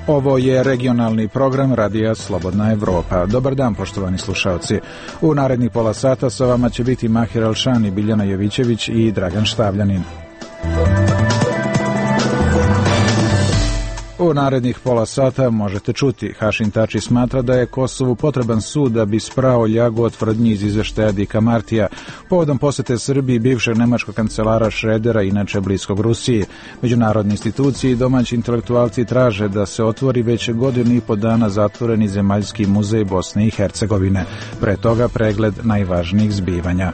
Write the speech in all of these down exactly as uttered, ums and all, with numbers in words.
Ovo je regionalni program Radija Slobodna Evropa. Dobar dan, poštovani slušalci. U narednih pola sata sa vama će biti Mahir Alšani, Biljana Jovićević i Dragan Štavljanin. U narednih pola sata možete čuti. Hašim Tači smatra da je Kosovu potreban sud da bi sprao ljagu od tvrdnji iz izveštaja Dika Martija. Povodom posete Srbiji bivšeg nemačkog kancelara Šredera, inače bliskog Rusiji. Međunarodne institucije i domaći intelektualci traže da se otvori već godinu i po dana zatvoreni Zemaljski muzej Bosne i Hercegovine. Pre toga pregled najvažnijih zbivanja.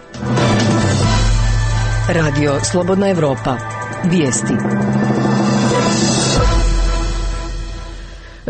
Radio Slobodna Evropa. Vijesti.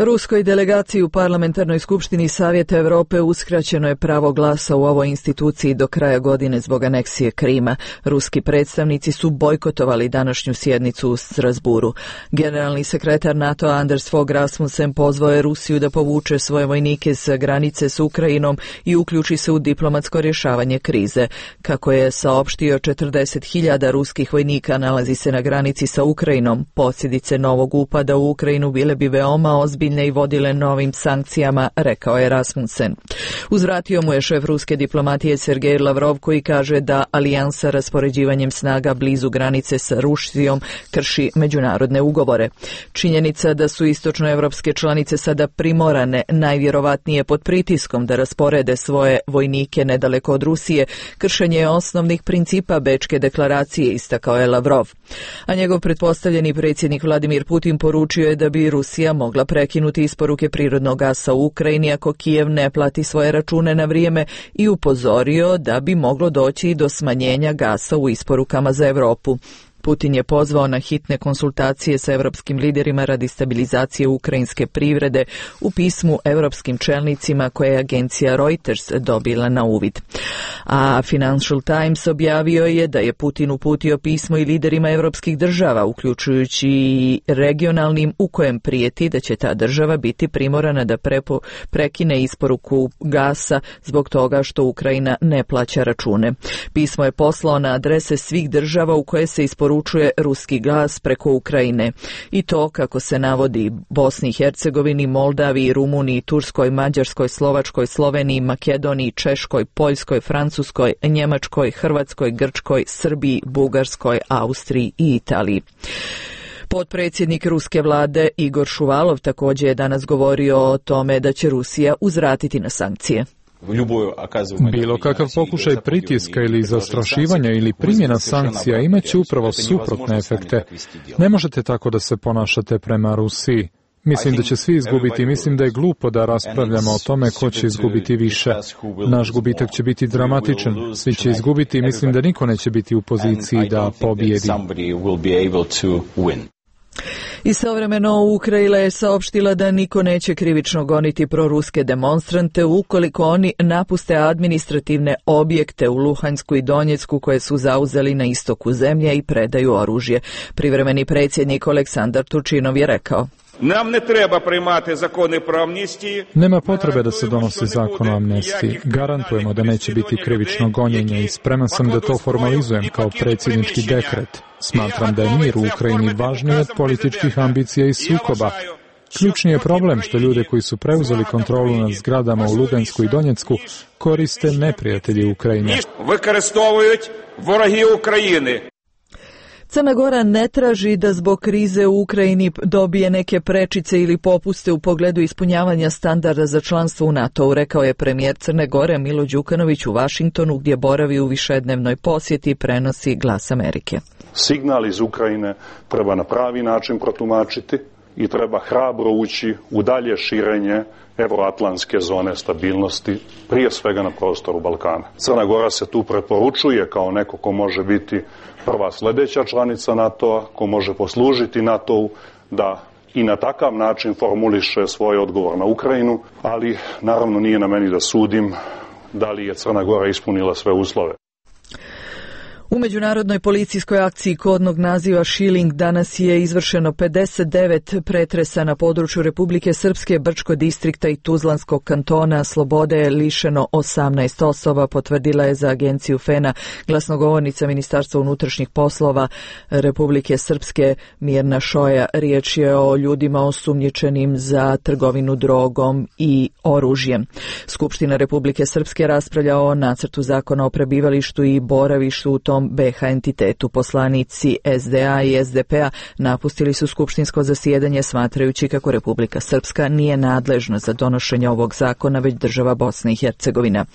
Ruskoj delegaciji u Parlamentarnoj skupštini Savjeta Europe uskraćeno je pravo glasa u ovoj instituciji do kraja godine zbog aneksije Krima. Ruski predstavnici su bojkotovali današnju sjednicu u Strasburu. Generalni sekretar NATO Anders Fogh Rasmussen pozvao je Rusiju da povuče svoje vojnike sa granice s Ukrajinom i uključi se u diplomatsko rješavanje krize. Kako je saopštio, četrdeset hiljada ruskih vojnika nalazi se na granici sa Ukrajinom. Posljedice novog upada u Ukrajinu bile bi veoma ozbiljne i vodile novim sankcijama, rekao je Rasmussen. Uzvratio mu je šef ruske diplomatije Sergej Lavrov, koji kaže da alijansa raspoređivanjem snaga blizu granice sa Rusijom krši međunarodne ugovore. Činjenica da su istočnoevropske članice sada primorane, najvjerovatnije pod pritiskom, da rasporede svoje vojnike nedaleko od Rusije, kršenje je osnovnih principa Bečke deklaracije, istakao je Lavrov. A njegov pretpostavljeni predsjednik Vladimir Putin poručio je da bi Rusija mogla prekinuti isporuke prirodnog gasa u Ukrajini ako Kijev ne plati svoje račune na vrijeme i upozorio da bi moglo doći do smanjenja gasa u isporukama za Europu. Putin je pozvao na hitne konsultacije sa europskim liderima radi stabilizacije ukrajinske privrede u pismu europskim čelnicima koje je agencija Reuters dobila na uvid. A Financial Times objavio je da je Putin uputio pismo i liderima europskih država, uključujući i regionalnim, u kojem prijeti da će ta država biti primorana da prepo, prekine isporuku gasa zbog toga što Ukrajina ne plaća račune. Pismo je poslao na adrese svih država u koje se isporučuje poručuje ruski gas preko Ukrajine. I to, kako se navodi, Bosni i Hercegovini, Moldaviji, Rumuniji, Turskoj, Mađarskoj, Slovačkoj, Sloveniji, Makedoniji, Češkoj, Poljskoj, Francuskoj, Njemačkoj, Hrvatskoj, Grčkoj, Srbiji, Bugarskoj, Austriji i Italiji. Potpredsjednik ruske vlade Igor Šuvalov također je danas govorio o tome da će Rusija uzvratiti na sankcije. Bilo kakav pokušaj pritiska ili zastrašivanja ili primjena sankcija imaće upravo suprotne efekte. Ne možete tako da se ponašate prema Rusiji. Mislim da će svi izgubiti. Mislim da je glupo da raspravljamo o tome ko će izgubiti više. Naš gubitak će biti dramatičan. Svi će izgubiti i mislim da niko neće biti u poziciji da pobjedi. Istovremeno Ukrajina je saopštila da niko neće krivično goniti proruske demonstrante ukoliko oni napuste administrativne objekte u Luhansku i Donjecku koje su zauzeli na istoku zemlje i predaju oružje. Privremeni predsjednik Aleksandar Turčinov je rekao: Nam ne treba primati zakone pro amnistiji. Nema potrebe da se donosi zakon o amnestiji. Garantujemo da neće biti krivično gonjenje i spreman sam da to formalizujem kao predsjednički dekret. Smatram da je mir u Ukrajini važniji od političkih ambicija i sukoba. Ključni je problem što ljude koji su preuzeli kontrolu nad zgradama u Lugansku i Donjecku koriste neprijatelji Ukrajine. Використовують вороги України. Crna Gora ne traži da zbog krize u Ukrajini dobije neke prečice ili popuste u pogledu ispunjavanja standarda za članstvo u NATO-u, rekao je premijer Crne Gore Milo Đukanović u Vašingtonu, gdje boravi u višednevnoj posjeti, prenosi Glas Amerike. Signal iz Ukrajine treba na pravi način protumačiti i treba hrabro ući u dalje širenje euroatlantske zone stabilnosti, prije svega na prostoru Balkana. Crna Gora se tu preporučuje kao neko ko može biti prva sljedeća članica NATO-a, ko može poslužiti NATO-u da i na takav način formuliše svoj odgovor na Ukrajinu, ali naravno nije na meni da sudim da li je Crna Gora ispunila sve uslove. U međunarodnoj policijskoj akciji kodnog naziva Šiling danas je izvršeno pedeset devet pretresa na području Republike Srpske, Brčko distrikta i Tuzlanskog kantona. Slobode je lišeno osamnaest osoba, potvrdila je za agenciju Fena glasnogovornica Ministarstva unutrašnjih poslova Republike Srpske Mirna Šoja. Riječ je o ljudima osumnjičenim za trgovinu drogom i oružjem. Skupština Republike Srpske raspravlja o nacrtu zakona o prebivalištu i boravištu u tom be ha entitetu. Poslanici es de a i es de pe-a napustili su skupštinsko zasjedanje smatrajući kako Republika Srpska nije nadležna za donošenje ovog zakona, već država Bosna i Hercegovina.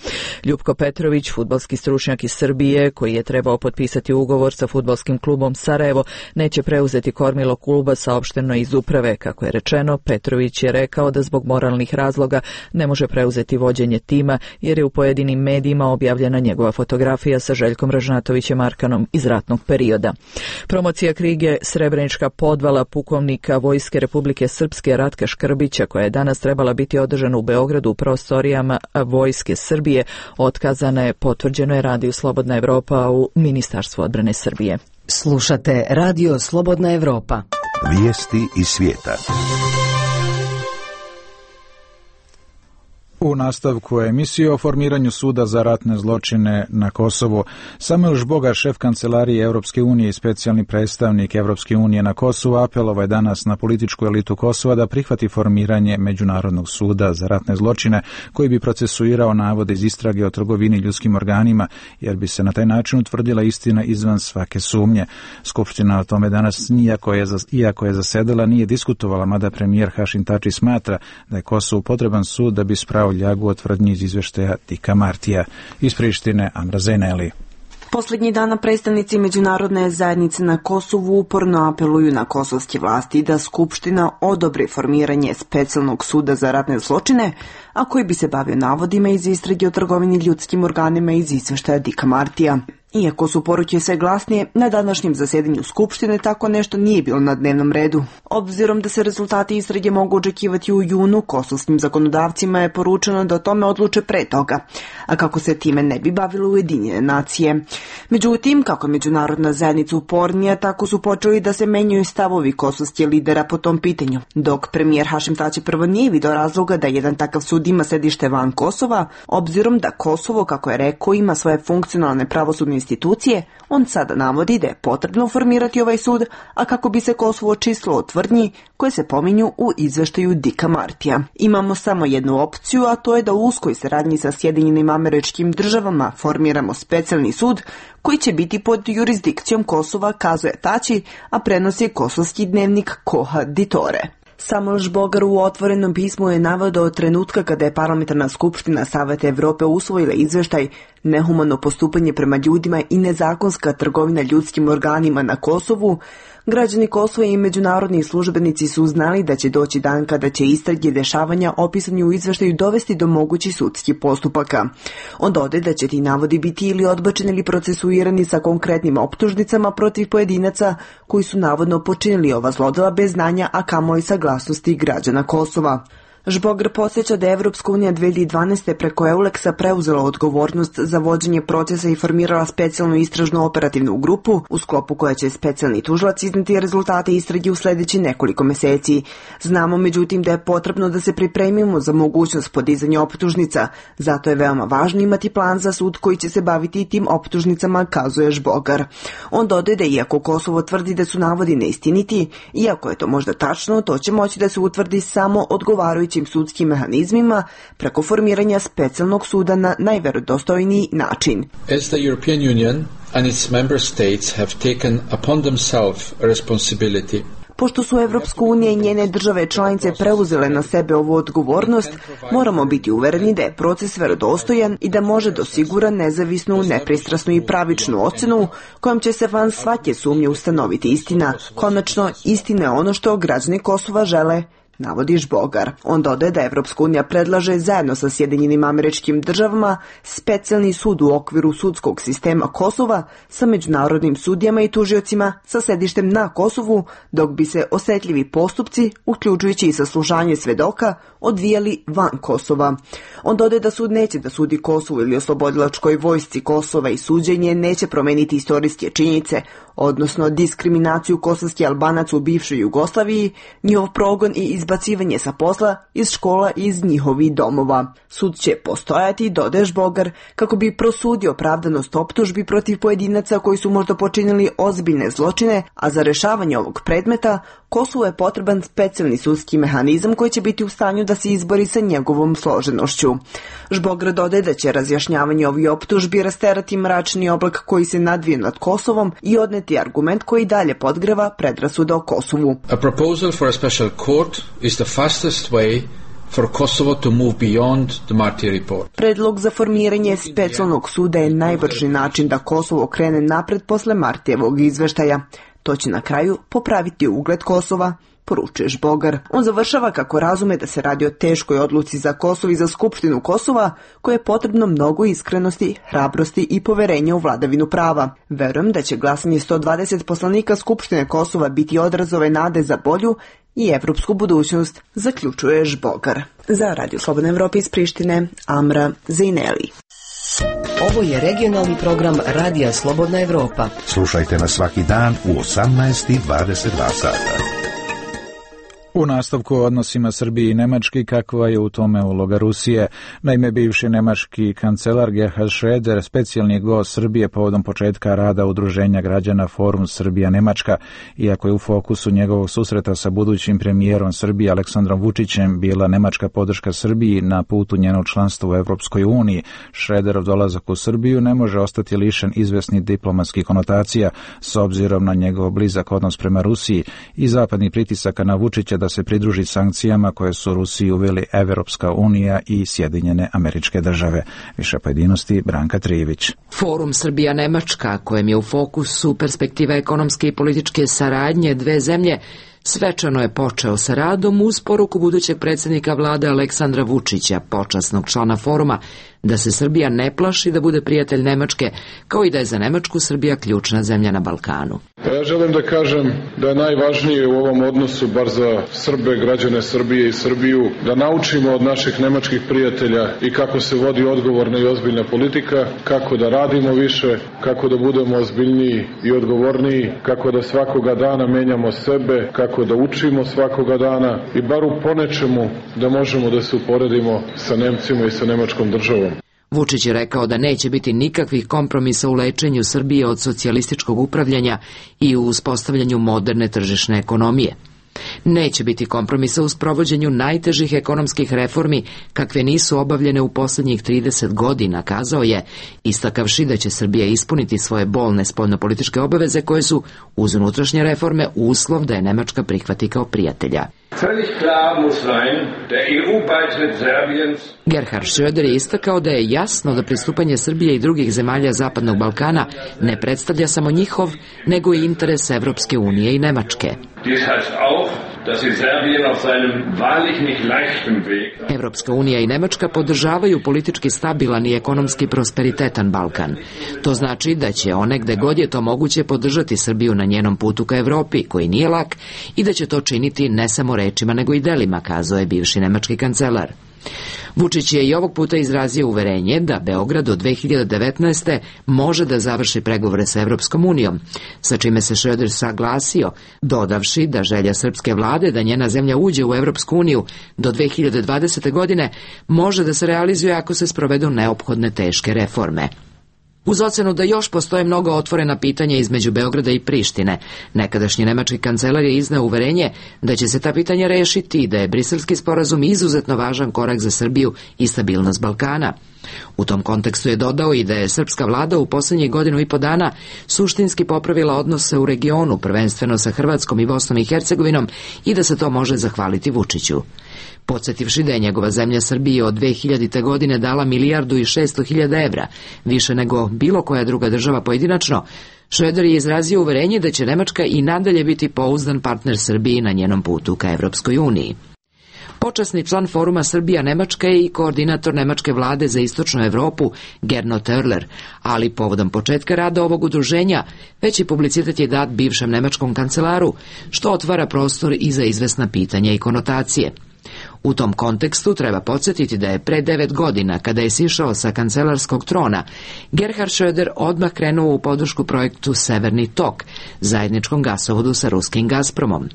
Ljupko Petrović, fudbalski stručnjak iz Srbije, koji je trebao potpisati ugovor sa fudbalskim klubom Sarajevo, neće preuzeti kormilo kluba, saopšteno iz uprave. Kako je rečeno, Petrović je rekao da zbog moralnih razloga ne može preuzeti vođenje tima, jer je u pojedinim medijima objavljena njegova fotografija sa Željkom Ražnatovićem Arkanom iz ratnog perioda. Promocija knjige Srebrenička podvala pukovnika Vojske Republike Srpske Ratka Škrbića, koja je danas trebala biti održana u Beogradu u prostorijama Vojske Srbije, otkazana je, potvrđeno je Radio Slobodna Evropa u Ministarstvu odbrane Srbije. Slušate Radio Slobodna Evropa. Vijesti iz svijeta. U nastavku emisije o formiranju suda za ratne zločine na Kosovu, Samuel Žbogar, šef kancelarije Europske unije i specijalni predstavnik Europske unije na Kosovu, apelovao je danas na političku elitu Kosova da prihvati formiranje Međunarodnog suda za ratne zločine koji bi procesuirao navode iz istrage o trgovini ljudskim organima, jer bi se na taj način utvrdila istina izvan svake sumnje. Skupština o tome danas, iako je, iako je zasedala, nije diskutovala, mada premijer Hašim Tači smatra da je Kosovu potreban sud da bi sprao ljagu od tvrdnji iz izveštaja Dika Martija. Iz Prištine, Amra Zeneli. Posljednjih dana predstavnici međunarodne zajednice na Kosovu uporno apeluju na kosovske vlasti da Skupština odobri formiranje specijalnog suda za ratne zločine, a koji bi se bavio navodima iz istrage o trgovini ljudskim organima iz izveštaja Dika Martija. Iako su poruke sve glasnije, na današnjem zasjedanju Skupštine tako nešto nije bilo na dnevnom redu. Obzirom da se rezultati istrage mogu očekivati u junu, kosovskim zakonodavcima je poručeno da o tome odluče pre toga, a kako se time ne bi bavilo Ujedinjene nacije. Međutim, kako je međunarodna zajednica upornija, tako su počeli da se menjaju stavovi kosovskih lidera po tom pitanju. Dok premijer Hašim Tači prvo nije video razloga da jedan takav sud ima sedište van Kosova, obzirom da Kosovo, kako je rekao, ima svoje funkcionalne pravosudne institucije, on sada navodi da je potrebno formirati ovaj sud, a kako bi se Kosovo očistilo od tvrdnji koje se pominju u izveštaju Dika Martija. Imamo samo jednu opciju, a to je da u uskoj saradnji sa Sjedinjenim Američkim Državama formiramo specijalni sud koji će biti pod jurisdikcijom Kosova, kazuje Tači, a prenosi kosovski dnevnik Koha Ditore. Samuel Žbogar u otvorenom pismu je naveo od trenutka kada je Parlamentarna skupština Saveta Evrope usvojila izveštaj Nehumano postupanje prema ljudima i nezakonska trgovina ljudskim organima na Kosovu, građani Kosova i međunarodni službenici su znali da će doći dan kada će istrage dešavanja opisani u izveštaju dovesti do mogućih sudskih postupaka. On dodaje da će ti navodi biti ili odbačeni ili procesuirani sa konkretnim optužnicama protiv pojedinaca koji su navodno počinili ova zlodela bez znanja, a kamoli saglasnosti građana Kosova. Žbogar podsjeća da je Evropska unija dve hiljade dvanaeste. preko Euleksa preuzela odgovornost za vođenje procesa i formirala specijalnu istražnu operativnu grupu, u sklopu koja će specijalni tužilac izneti rezultate istrage u sljedeći nekoliko meseci. Znamo međutim da je potrebno da se pripremimo za mogućnost podizanja optužnica, zato je veoma važno imati plan za sud koji će se baviti i tim optužnicama, kazuje Žbogar. On dodaje da iako Kosovo tvrdi da su navodi neistiniti, iako je to možda tačno, to će moći da se utvrdi samo odgovarajući sudskim mehanizmima preko formiranja specijalnog suda na najverodostojniji način. As the European Union and its member states have taken upon themselves a responsibility. Pošto su Evropska unija i njene države članice preuzele na sebe ovu odgovornost, moramo biti uvereni da je proces verodostojan i da može da osigura nezavisnu, nepristrasnu i pravičnu ocenu kojom će se van svake sumnje ustanoviti istina. Konačno, istina je ono što građani Kosova žele, navodi Žbogar. On dodaje da Evropska unija predlaže zajedno sa Sjedinjenim Američkim Državama specijalni sud u okviru sudskog sistema Kosova sa međunarodnim sudijama i tužiocima sa sedištem na Kosovu, dok bi se osetljivi postupci, uključujući i saslušanje svedoka, odvijali van Kosova. On dodaje da sud neće da sudi Kosovu ili oslobodilačkoj vojsci Kosova i suđenje neće promeniti istorijske činjenice, odnosno diskriminaciju kosovskih Albanaca u bivšoj Jugoslaviji, njihov progon i izbacivanje sa posla iz škola i iz njihovih domova. Sud će postojati, dodaje Žbogar, kako bi prosudio opravdanost optužbi protiv pojedinaca koji su možda počinili ozbiljne zločine, a za rešavanje ovog predmeta Kosovu je potreban specijalni sudski mehanizam koji će biti u stanju da se izbori sa njegovom složenošću. Žbogar dodaje da će razjašnjavanje ovih optužbi rasterati mračni oblak koji se nadvije nad Kosovom i odneti argument koji dalje podgreva predrasuda o Kosovu. A proposal for a special court is the fastest way for Kosovo to move beyond the Marti report. Predlog za formiranje specijalnog suda je najbrži način da Kosovo krene napred posle Martijevog izveštaja. To će na kraju popraviti ugled Kosova, poručuje Žbogar. On završava kako razume da se radi o teškoj odluci za Kosovo i za Skupštinu Kosova, koje je potrebno mnogo iskrenosti, hrabrosti i poverenja u vladavinu prava. Verujem da će glasanje sto dvadeset poslanika Skupštine Kosova biti odraz ove nade za bolju i evropsku budućnost, zaključuje Žbogar. Za Radio Slobodna Evropa iz Prištine, Amra Zejneli. Ovo je regionalni program Radija Slobodna Evropa. Slušajte nas svaki dan u osamnaest i dvadeset dva sata. U nastavku o odnosima Srbije i Nemačke, kakva je u tome uloga Rusije. Naime, bivši nemački kancelar Gerhard Schröder, specijalni gost Srbije povodom početka rada Udruženja građana Forum Srbija-Nemačka, iako je u fokusu njegovog susreta sa budućim premijerom Srbije Aleksandrom Vučićem bila nemačka podrška Srbiji na putu njenog članstva u Evropskoj uniji, Schröderov dolazak u Srbiju ne može ostati lišen izvesnih diplomatskih konotacija s obzirom na njegov blizak odnos prema Rusiji i zapadnih pritisaka na Vučića da se pridruži sankcijama koje su Rusiji uveli Evropska unija i Sjedinjene Američke Države. Više pojedinosti Branka Trijević. Forum Srbija-Nemačka, kojem je u fokusu perspektiva ekonomske i političke saradnje dve zemlje, svečano je počeo sa radom uz poruku budućeg predsjednika vlade Aleksandra Vučića, počasnog člana foruma, da se Srbija ne plaši da bude prijatelj Nemačke, kao i da je za Nemačku Srbija ključna zemlja na Balkanu. Ja želim da kažem da je najvažnije u ovom odnosu, bar za Srbe, građane Srbije i Srbiju, da naučimo od naših nemačkih prijatelja i kako se vodi odgovorna i ozbiljna politika, kako da radimo više, kako da budemo ozbiljniji i odgovorniji, kako da svakoga dana menjamo sebe, kako da učimo svakoga dana i bar u ponečemu da možemo da se uporedimo sa Nemcima i sa nemačkom državom. Vučić je rekao da neće biti nikakvih kompromisa u lečenju Srbije od socijalističkog upravljanja i u uspostavljanju moderne tržišne ekonomije. Neće biti kompromisa u sprovođenju najtežih ekonomskih reformi kakve nisu obavljene u posljednjih trideset godina, kazao je, istakavši da će Srbija ispuniti svoje bolne spoljnopolitičke obaveze koje su, uz unutrašnje reforme, uslov da je Nemačka prihvati kao prijatelja. Gerhard Schröder je istakao da je jasno da pristupanje Srbije i drugih zemalja Zapadnog Balkana ne predstavlja samo njihov, nego i interes Evropske unije i Nemačke. Evropska unija i Nemačka podržavaju politički stabilan i ekonomski prosperitetan Balkan. To znači da će one gde god je to moguće podržati Srbiju na njenom putu ka Evropi, koji nije lak, i da će to činiti ne samo rečima nego i delima, kazao je bivši nemački kancelar. Vučić je i ovog puta izrazio uverenje da Beograd do dve hiljade devetnaeste. može da završi pregovore sa Evropskom unijom, sa čime se Schröder saglasio, dodavši da želja srpske vlade da njena zemlja uđe u Evropsku uniju do dve hiljade dvadesete. godine može da se realizuje ako se sprovedu neophodne teške reforme. Uz ocenu da još postoje mnogo otvorena pitanja između Beograda i Prištine, nekadašnji nemački kancelar je izneo uverenje da će se ta pitanja rešiti i da je Briselski sporazum izuzetno važan korak za Srbiju i stabilnost Balkana. U tom kontekstu je dodao i da je srpska vlada u posljednjih godinu i po dana suštinski popravila odnose u regionu, prvenstveno sa Hrvatskom i Bosnom i Hercegovinom, i da se to može zahvaliti Vučiću. Podsjetivši da je njegova zemlja Srbije od dve hiljadite. godine dala milijardu i šesto hiljada evra, više nego bilo koja druga država pojedinačno, Schröder je izrazio uverenje da će Nemačka i nadalje biti pouzdan partner Srbiji na njenom putu ka Evropskoj uniji. Počasni član foruma Srbija-Nemačka je i koordinator nemačke vlade za istočnu Evropu Gernot Oerler, ali povodom početka rada ovog udruženja veći publicitet je dat bivšem nemačkom kancelaru, što otvara prostor i za izvesna pitanja i konotacije. U tom kontekstu treba podsjetiti da je pre devet godina, kada je sišao sa kancelarskog trona, Gerhard Schröder odmah krenuo u podršku projektu Severni tok, zajedničkom gasovodu sa ruskim Gazpromom.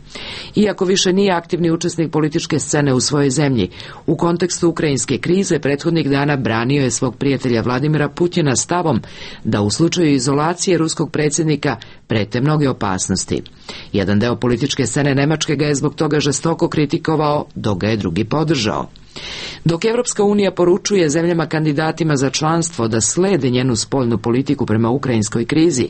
Iako više nije aktivni učesnik političke scene u svojoj zemlji, u kontekstu ukrajinske krize prethodnih dana branio je svog prijatelja Vladimira Putina stavom da u slučaju izolacije ruskog predsjednika prete mnoge opasnosti. Jedan deo političke scene Nemačke ga je zbog toga žestoko kritikovao, dok ga je drugi podržao. Dok Evropska unija poručuje zemljama kandidatima za članstvo da slede njenu spoljnu politiku prema ukrajinskoj krizi,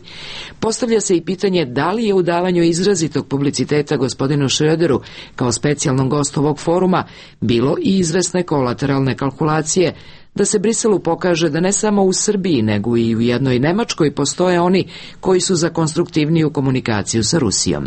postavlja se i pitanje da li je u davanju izrazitog publiciteta gospodinu Schröderu kao specijalnom gostu ovog foruma bilo i izvesne kolateralne kalkulacije da se Briselu pokaže da ne samo u Srbiji, nego i u jednoj Nemačkoj postoje oni koji su za konstruktivniju komunikaciju sa Rusijom.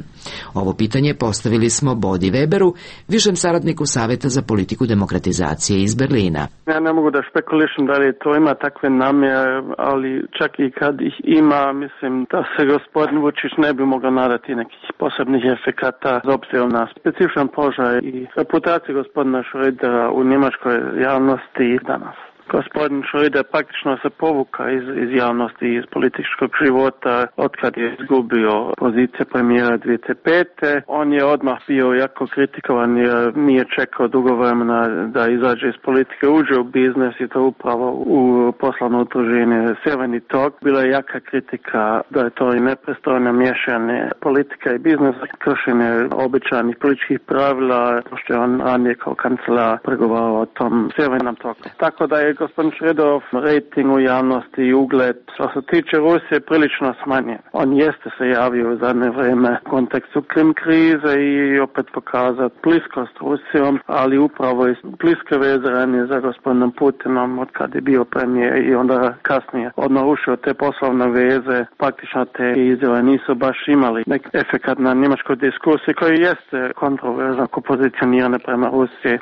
Ovo pitanje postavili smo Bodi Weberu, višem saradniku Saveta za politiku demokratizacije iz Berlina. Ja ne mogu da špekulišem da li to ima takve namjere, ali čak i kad ih ima, mislim da se gospodin Vučić ne bi mogao nadati nekih posebnih efekata s obzirom na specifičan položaj i reputaciju gospodina Schrödera u njemačkoj javnosti danas. Gospodin Schröder praktično se povuka iz, iz javnosti, iz političkog života otkad je izgubio pozicije premijera dvije tisuće pete. On je odmah bio jako kritikovan jer nije čekao dugo vremena da izađe iz politike, uđe u biznes i to upravo u poslovno udruženje Severni tok. Bila je jaka kritika da je to i nepristojno miješanje politika i biznesa, kršenje običajnih političkih pravila, što je on ranije kao kancelar pregovarao o tom Severnom toku. Tako da je gospodin Schröderov rating u javnosti i ugled što se tiče Rusije prilično smanjen. On jeste se javio u zadnje vrijeme u kontekstu Krim krize i opet pokazati bliskost Rusijom, ali upravo iz bliske veze ranije za gospodinom Putinom od kad je bio premijer i onda kasnije on narušio te poslovne veze, praktično te izjave nisu baš imali neki efekat na njemačkoj diskusiji koji jeste kontroverzno pozicionirane prema Rusiji,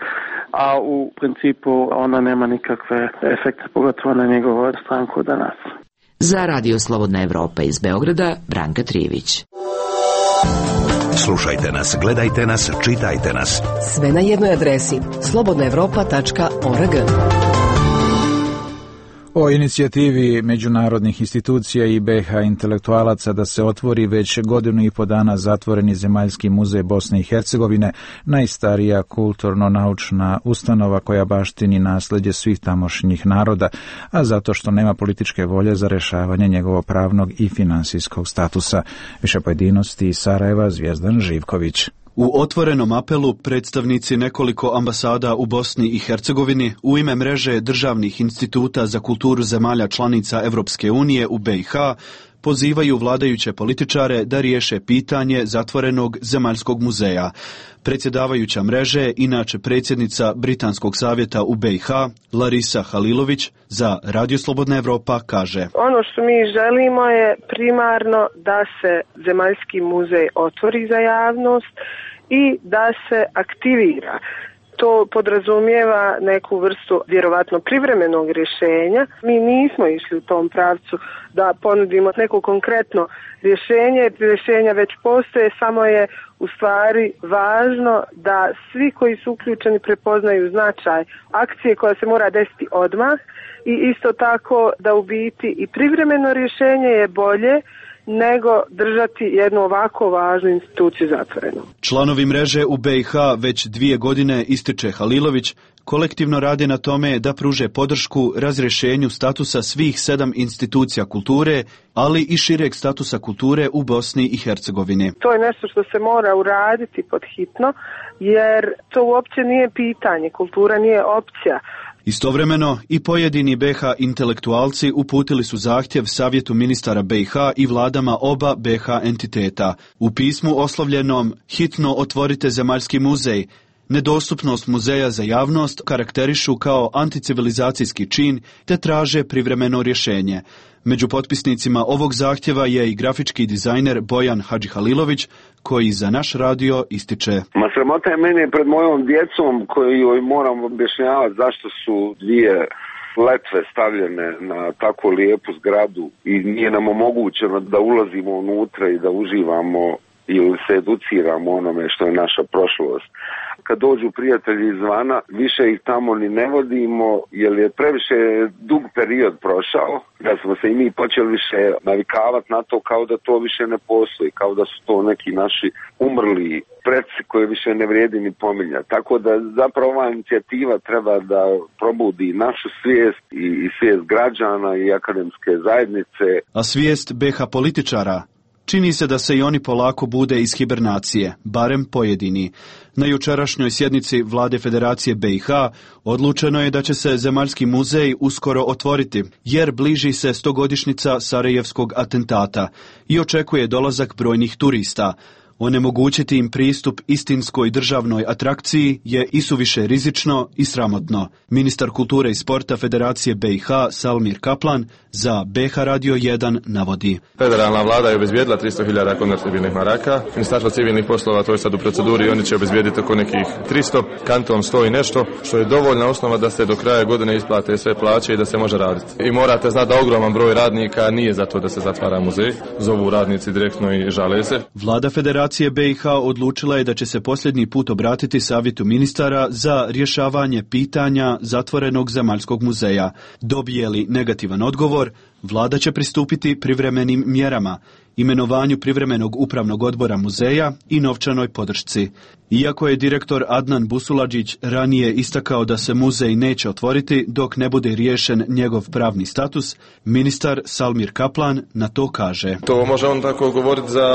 a u principu ona nema nikakve efekte, pogotovo na njegovu stranku danas. Za Radio Slobodna Evropa iz Beograda, Branka Trijević. Slušajte nas, gledajte nas, čitajte nas. Sve na jednoj adresi slobodna evropa tačka org. O inicijativi međunarodnih institucija i be ha intelektualaca da se otvori već godinu i po dana zatvoreni Zemaljski muzej Bosne i Hercegovine, najstarija kulturno-naučna ustanova koja baštini nasleđe svih tamošnjih naroda, a zato što nema političke volje za rešavanje njegovog pravnog i finansijskog statusa. Više pojedinosti iz Sarajeva, Zvijezdan Živković. U otvorenom apelu predstavnici nekoliko ambasada u Bosni i Hercegovini u ime mreže državnih instituta za kulturu zemalja članica Evropske unije u be i ha pozivaju vladajuće političare da riješe pitanje zatvorenog Zemaljskog muzeja. Predsjedavajuća mreže, inače predsjednica Britanskog savjeta u be i ha, Larisa Halilović, za Radio Slobodna Evropa kaže: Ono što mi želimo je primarno da se Zemaljski muzej otvori za javnost i da se aktivira. To podrazumijeva neku vrstu vjerovatno privremenog rješenja. Mi nismo išli u tom pravcu da ponudimo neko konkretno rješenje, rješenja već postoje, samo je u stvari važno da svi koji su uključeni prepoznaju značaj akcije koja se mora desiti odmah i isto tako da u biti i privremeno rješenje je bolje nego držati jednu ovako važnu instituciju zatvorenu. Članovi mreže u be i ha već dvije godine, ističe Halilović, kolektivno rade na tome da pruže podršku razrješenju statusa svih sedam institucija kulture, ali i šireg statusa kulture u Bosni i Hercegovini. To je nešto što se mora uraditi pod hitno, jer to uopće nije pitanje, kultura nije opcija. Istovremeno i pojedini be ha intelektualci uputili su zahtjev Savjetu ministara be i ha i vladama oba be ha entiteta. U pismu oslovljenom "Hitno otvorite Zemaljski muzej" Nedostupnost muzeja za javnost karakterišu kao anticivilizacijski čin te traže privremeno rješenje. Među potpisnicima ovog zahtjeva je i grafički dizajner Bojan Hadžihalilović, koji za naš radio ističe: Ma sramota je meni pred mojom djecom koji joj moram objašnjavati zašto su dvije letve stavljene na tako lijepu zgradu i nije nam omogućeno da ulazimo unutra i da uživamo ili se educiramo onome što je naša prošlost. Kad dođu prijatelji izvana, više ih tamo ni ne vodimo, jer je previše dug period prošao, da smo se i mi počeli više navikavati na to kao da to više ne postoji, kao da su to neki naši umrli preci koje više ne vrijedi ni pominjati. Tako da zapravo ova inicijativa treba da probudi našu svijest i, i svijest građana i akademske zajednice. A svijest B iH političara? Čini se da se i oni polako bude iz hibernacije, barem pojedini. Na jučerašnjoj sjednici Vlade Federacije B iH odlučeno je da će se Zemaljski muzej uskoro otvoriti, jer bliži se stogodišnjica Sarajevskog atentata i očekuje dolazak brojnih turista. Onemogućiti im pristup istinskoj državnoj atrakciji je isuviše rizično i sramotno. Ministar kulture i sporta Federacije B iH Salmir Kaplan za B iH Radio jedan navodi: Federalna vlada je obezbijedila tristo hiljada konvertibilnih maraka. Ministarstvo civilnih poslova to je sad u proceduri i oni će obezbijediti oko nekih tristo, kanton sto i nešto, što je dovoljna osnova da se do kraja godine isplate sve plaće i da se može raditi. I morate znati da ogroman broj radnika nije za to da se zatvara muzej. Zovu radnici direktno i žale se. Vlada Federacije B iH odlučila je da će se posljednji put obratiti savjetu ministara za rješavanje pitanja zatvorenog Zemaljskog muzeja. Dobije li negativan odgovor, vlada će pristupiti privremenim mjerama, imenovanju privremenog upravnog odbora muzeja i novčanoj podršci. Iako je direktor Adnan Busuladžić ranije istakao da se muzej neće otvoriti dok ne bude riješen njegov pravni status, ministar Salmir Kaplan na to kaže: To može on tako govoriti za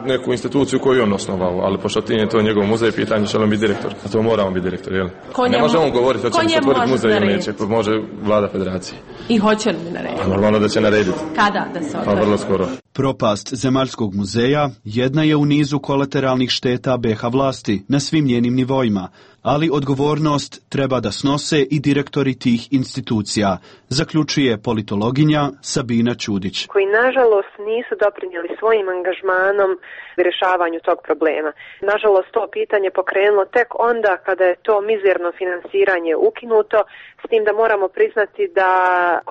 neku instituciju koju je on osnovao, ali pošto ti je to njegov muzej, pitanje će on biti direktor. A to moramo biti direktor, jel? Ne može on govoriti hoće li se otvoriti muzej ili neće, može vlada federacije. I hoće li narediti? Normalno da će narediti. Kada da se otvori? Pa vrlo skoro. Propast Zemaljskog muzeja jedna je u nizu kolateralnih šteta B iH vlasti na svim njenim nivoima, ali odgovornost treba da snose i direktori tih institucija, zaključuje politologinja Sabina Ćudić. Koji nažalost nisu doprinijeli svojim angažmanom rješavanju tog problema. Nažalost to pitanje pokrenulo tek onda kada je to mizerno finansiranje ukinuto, s tim da moramo priznati da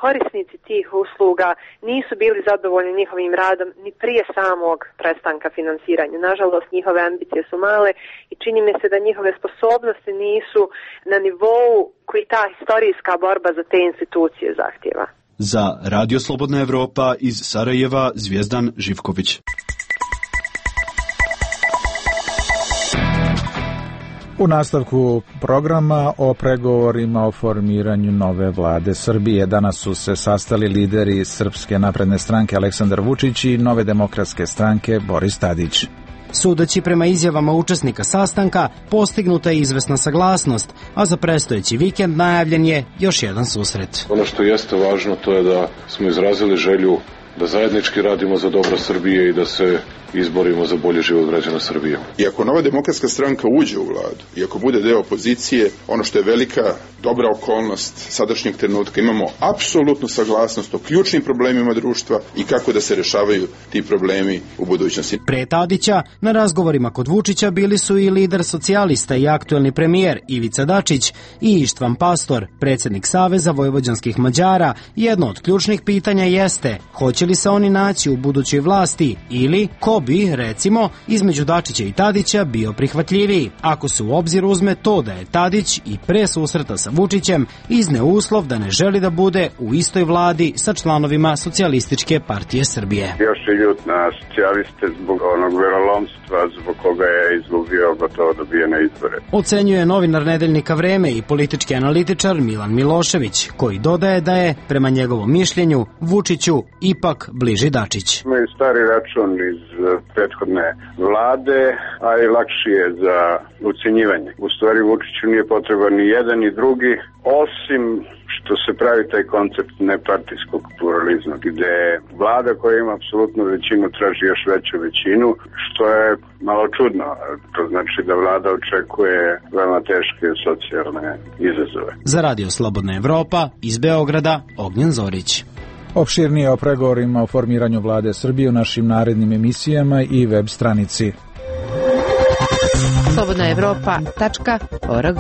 korisnici tih usluga nisu bili zadovoljni njihovim radom ni prije samog prestanka finansiranja. Nažalost njihove ambicije su male i čini mi se da njihove sposobnosti nisu na nivou koji ta historijska borba za te institucije zahtjeva. Za Radio Slobodna Evropa iz Sarajeva Zvijezdan Živković. U nastavku programa o pregovorima o formiranju nove vlade Srbije. Danas su se sastali lideri Srpske napredne stranke Aleksandar Vučić i Nove demokratske stranke Boris Tadić. Sudeći prema izjavama učesnika sastanka, postignuta je izvesna saglasnost, a za predstojeći vikend najavljen je još jedan susret. Ono što jeste važno to je da smo izrazili želju da zajednički radimo za dobro Srbije i da se izborimo za bolji život građana Srbije. I ako Nova demokratska stranka uđe u vladu, i ako bude deo opozicije, ono što je velika dobra okolnost sadašnjeg trenutka, imamo apsolutnu saglasnost o ključnim problemima društva i kako da se rešavaju ti problemi u budućnosti. Pre Tadića, na razgovorima kod Vučića bili su i lider socijalista i aktuelni premijer Ivica Dačić i Ištvan Pastor, predsjednik Saveza vojvođanskih Mađara. Jedno od ključnih pitanja jeste, hoće li se oni naći u budućoj vlasti ili ko bi, recimo, između Dačića i Tadića bio prihvatljiviji, ako se u obzir uzme to da je Tadić i pre susreta sa Vučićem izneo uslov da ne želi da bude u istoj vladi sa članovima Socijalističke partije Srbije. Još je ljut na socijaliste zbog onog verolomstva zbog koga je izgubio gotovo dobijene izbore. Ocenjuje novinar nedeljnika Vreme i politički analitičar Milan Milošević, koji dodaje da je, prema njegovom mišljenju, Vučiću ipak ipak bliži Dačić. Imaju stari račun iz prethodne vlade, a i lakši je za ucenjivanje. U stvari Vučiću nije potreban ni jedan ni drugi, osim što se pravi taj koncept nepartijskog pluralizma, gde vlada koja ima apsolutnu većinu traži još veću većinu, što je malo čudno. To znači da vlada očekuje veoma teške socijalne izazove. Za Radio Slobodna Evropa iz Beograda, Ognjen Zorić. Opširnije o pregovorima o formiranju vlade Srbije u našim narednim emisijama i web stranici slobodna evropa tačka org.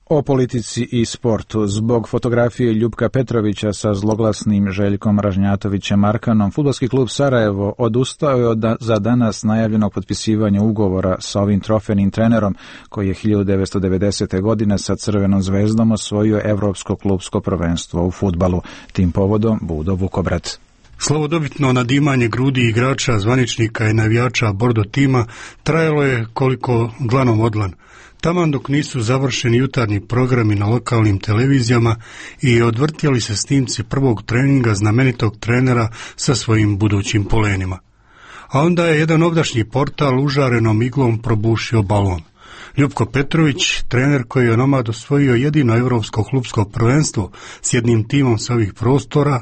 O politici i sportu. Zbog fotografije Ljupka Petrovića sa zloglasnim Željkom Ražnjatovićem Arkanom, fudbalski klub Sarajevo odustao je od da, za danas najavljenog potpisivanja ugovora sa ovim trofejnim trenerom koji je hiljadu devetsto devedesete. godine sa Crvenom zvezdom osvojio Evropsko klubsko prvenstvo u fudbalu. Tim povodom Budo Vukobrat. Slavodobitno nadimanje grudi igrača, zvaničnika i navijača bordo tima trajalo je koliko dlanom odlan. Taman dok nisu završeni jutarnji programi na lokalnim televizijama i odvrtjeli se snimci prvog treninga znamenitog trenera sa svojim budućim polenima. A onda je jedan ovdašnji portal užarenom iglom probušio balon. Ljupko Petrović, trener koji je onomad osvojio jedino evropsko klubsko prvenstvo s jednim timom sa ovih prostora,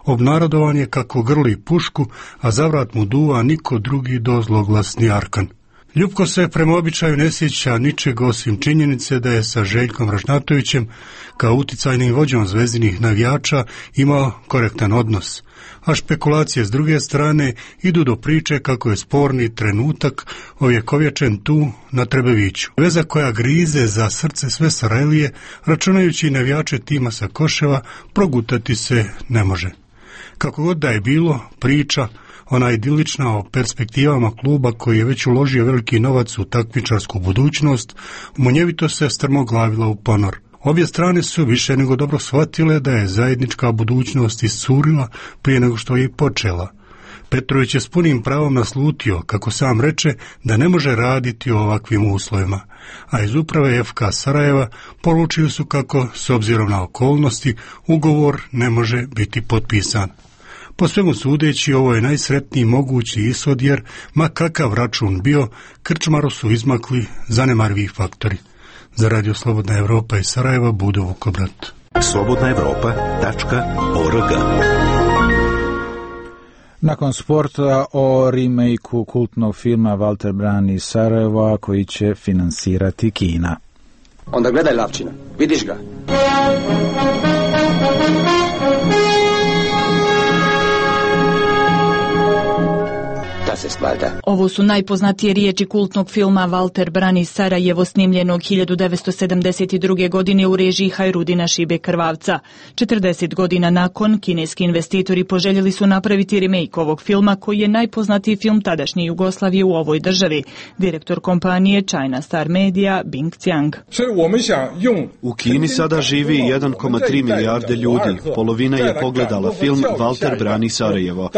obnarodovan je kako grli pušku, a zavrat mu duva niko drugi do zloglasni Arkan. Ljupko se prema običaju ne sjeća ničeg osim činjenice da je sa Željkom Ražnjatovićem kao uticajnim vođom zvezdinih navijača imao korektan odnos, a špekulacije s druge strane idu do priče kako je sporni trenutak ovjekovječen tu na Trebeviću. Veza koja grize za srce sve Sarajlije, računajući navijače tima sa Koševa, progutati se ne može. Kako god da je bilo, priča ona idilična o perspektivama kluba koji je već uložio veliki novac u takmičarsku budućnost, munjevito se strmoglavila u ponor. Obje strane su više nego dobro shvatile da je zajednička budućnost iscurila prije nego što je i počela. Petrović je s punim pravom naslutio, kako sam reče, da ne može raditi u ovakvim uslovima, a iz uprave F K Sarajeva poručili su kako, s obzirom na okolnosti, ugovor ne može biti potpisan. Po svemu sudeći, ovo je najsretniji mogući ishod jer, ma kakav račun bio, krčmaru su izmakli zanemarvi faktori. Za Radio Slobodna Evropa iz Sarajeva, Budo Vukobrat. slobodna evropa tačka org. Nakon sporta o remake-u kultnog filma Valter Bran iz Sarajeva koji će finansirati Kina. Onda gledaj, Lavčina, vidiš ga? Ovo su najpoznatije riječi kultnog filma Valter Bran iz Sarajevo, snimljenog hiljadu devetsto sedamdeset druge. godine u režiji Hajrudina Šibe Krvavca. četrdeset godina nakon, kineski investitori poželjeli su napraviti remake ovog filma koji je najpoznatiji film tadašnje Jugoslavije u ovoj državi. Direktor kompanije China Star Media Bing Qiang. U Kini sada živi jedan zarez tri milijarde ljudi. Polovina je pogledala film Valter Bran iz Sarajevo.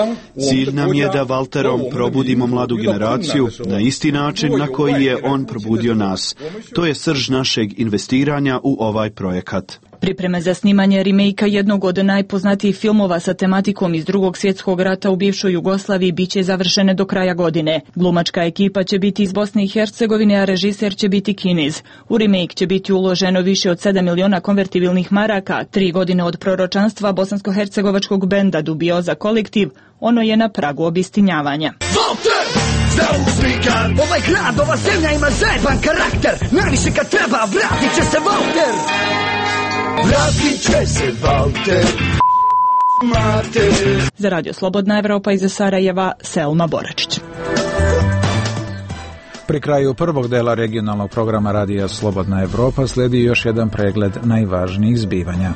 Cilj nam je da Valterom probudimo mladu generaciju na isti način na koji je on probudio nas. To je srž našeg investiranja u ovaj projekat. Pripreme za snimanje remake-a jednog od najpoznatijih filmova sa tematikom iz Drugog svjetskog rata u bivšoj Jugoslaviji biće završene do kraja godine. Glumačka ekipa će biti iz Bosne i Hercegovine, a režiser će biti Kinez. U remake će biti uloženo više od sedam miliona konvertibilnih maraka. Tri godine od proročanstva bosansko-hercegovačkog benda Dubioza kolektiv, ono je na pragu obistinjavanja. Ovaj grad, ova zemlja ima zajeban karakter. Najviše kad treba, vratit će se Valter. Vratit će se Valter. Za Radio Slobodna Evropa iz Sarajeva, Selma Boračić. Pri kraju prvog dela regionalnog programa Radija Slobodna Evropa slijedi još jedan pregled najvažnijih zbivanja.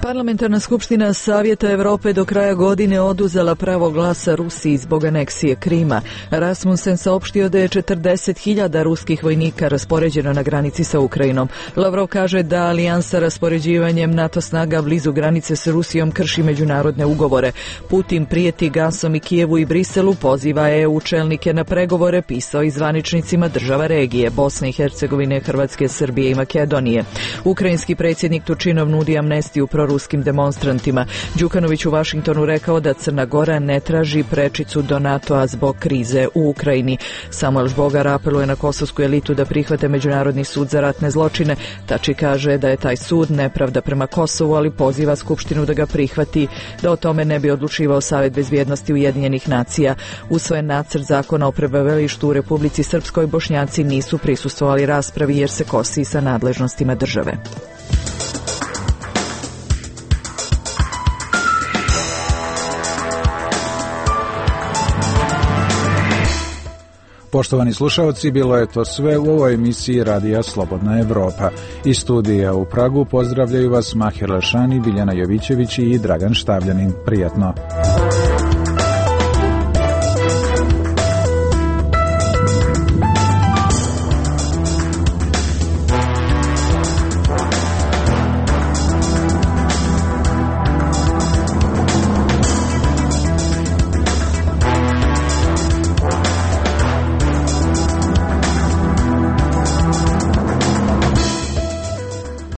Parlamentarna skupština Savjeta Evrope do kraja godine oduzela pravo glasa Rusiji zbog aneksije Krima. Rasmussen saopštio da je četrdeset hiljada ruskih vojnika raspoređeno na granici sa Ukrajinom. Lavrov kaže da alijansa raspoređivanjem NATO snaga blizu granice s Rusijom krši međunarodne ugovore. Putin prijeti gasom i Kijevu i Briselu, poziva E U čelnike na pregovore, pisao i zvaničnicima država regije Bosne i Hercegovine, Hrvatske, Srbije i Makedonije. Ukrajinski predsjednik Tučinov nudi amnestiju proruskim proruskim demonstrantima. Đukanović u Vašingtonu rekao da Crna Gora ne traži prečicu do NATO-a zbog krize u Ukrajini. Samuel Žbogar apeluje na kosovsku elitu da prihvate Međunarodni sud za ratne zločine. Tači kaže da je taj sud nepravda prema Kosovu, ali poziva Skupštinu da ga prihvati, da o tome ne bi odlučivao Savet bezbjednosti Ujedinjenih nacija. Usvojen nacrt zakona o prebivalištu u Republici Srpskoj, Bošnjaci nisu prisustvovali raspravi jer se kosi sa nadležnostima države. Poštovani slušalci, bilo je to sve u ovoj emisiji Radija Slobodna Evropa. Iz studija u Pragu pozdravljaju vas Mahir Lešani, Biljana Jovićević i Dragan Štavljanin. Prijatno.